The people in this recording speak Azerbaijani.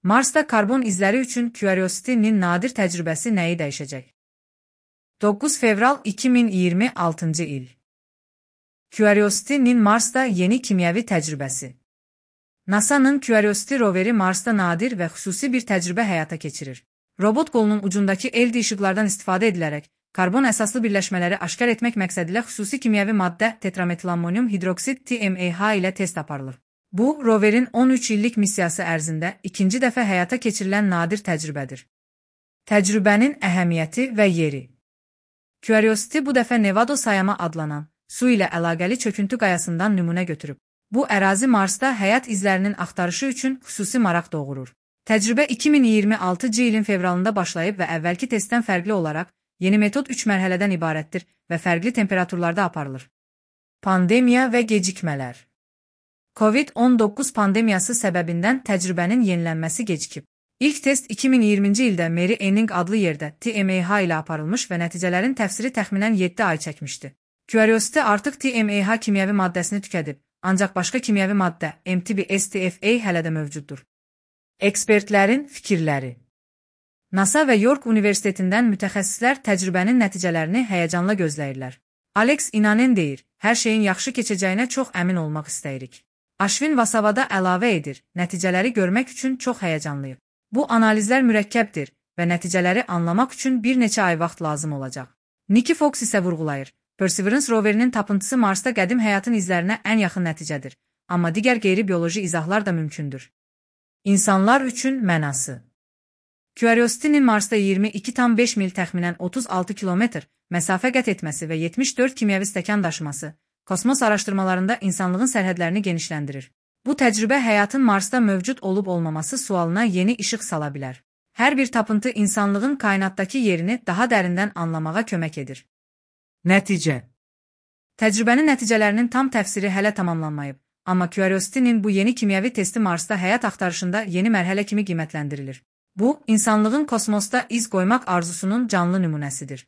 Marsda karbon izləri üçün Curiosity-nin nadir təcrübəsi nəyi dəyişəcək? 9 fevral 2026 il. Curiosity-nin Marsda yeni kimyəvi təcrübəsi. NASA-nın Curiosity roveri Marsda nadir və xüsusi bir təcrübə həyata keçirir. Robot qolunun ucundakı LED işıqlardan istifadə edilərək, karbon əsaslı birləşmələri aşkar etmək məqsədilə xüsusi kimyəvi maddə tetrametil-ammonium hidroksid TMAH ilə test aparılır. Bu, roverin 13 illik missiyası ərzində ikinci dəfə həyata keçirilən nadir təcrübədir. Təcrübənin əhəmiyyəti və yeri. Curiosity bu dəfə Nevado sayama adlanan, su ilə əlaqəli çöküntü qayasından nümunə götürüb. Bu ərazi Marsda həyat izlərinin axtarışı üçün xüsusi maraq doğurur. Təcrübə 2026 ilin fevralında başlayıb və əvvəlki testdən fərqli olaraq, yeni metod 3 mərhələdən ibarətdir və fərqli temperaturlarda aparılır. Pandemiya və gecikmələr. COVID-19 pandemiyası səbəbindən təcrübənin yenilənməsi gecikib. İlk test 2020-ci ildə Mary Anning adlı yerdə TMAH ilə aparılmış və nəticələrin təfsiri təxminən 7 ay çəkmişdi. Curiosity artıq TMAH kimyəvi maddəsini tükədib, ancaq başqa kimyəvi maddə MTB-STFA hələ də mövcuddur. Ekspertlərin fikirləri. NASA və York Universitetindən mütəxəssislər təcrübənin nəticələrini həyəcanla gözləyirlər. Alex İnanen deyir, hər şeyin yaxşı keçəcəyinə çox əmin olmaq istəyirik. Ashwin Vasavada əlavə edir, nəticələri görmək üçün çox həyəcanlıyıq. Bu analizlər mürəkkəbdir və nəticələri anlamaq üçün bir neçə ay vaxt lazım olacaq. Nikki Fox isə vurğulayır, Perseverance roverinin tapıntısı Marsda qədim həyatın izlərinə ən yaxın nəticədir, amma digər qeyri-bioloji izahlar da mümkündür. İnsanlar üçün mənası. Curiosity-nin Marsda 22,5 mil təxminən 36 kilometr məsafə qət etməsi və 74 kimyəvi stəkan daşıması, kosmos araşdırmalarında insanlığın sərhədlərini genişləndirir. Bu təcrübə həyatın Marsda mövcud olub-olmaması sualına yeni işıq sala bilər. Hər bir tapıntı insanlığın kainatdakı yerini daha dərindən anlamağa kömək edir. Nəticə. Təcrübənin nəticələrinin tam təfsiri hələ tamamlanmayıb, amma Curiosity-nin bu yeni kimyəvi testi Marsda həyat axtarışında yeni mərhələ kimi qiymətləndirilir. Bu, insanlığın kosmosda iz qoymaq arzusunun canlı nümunəsidir.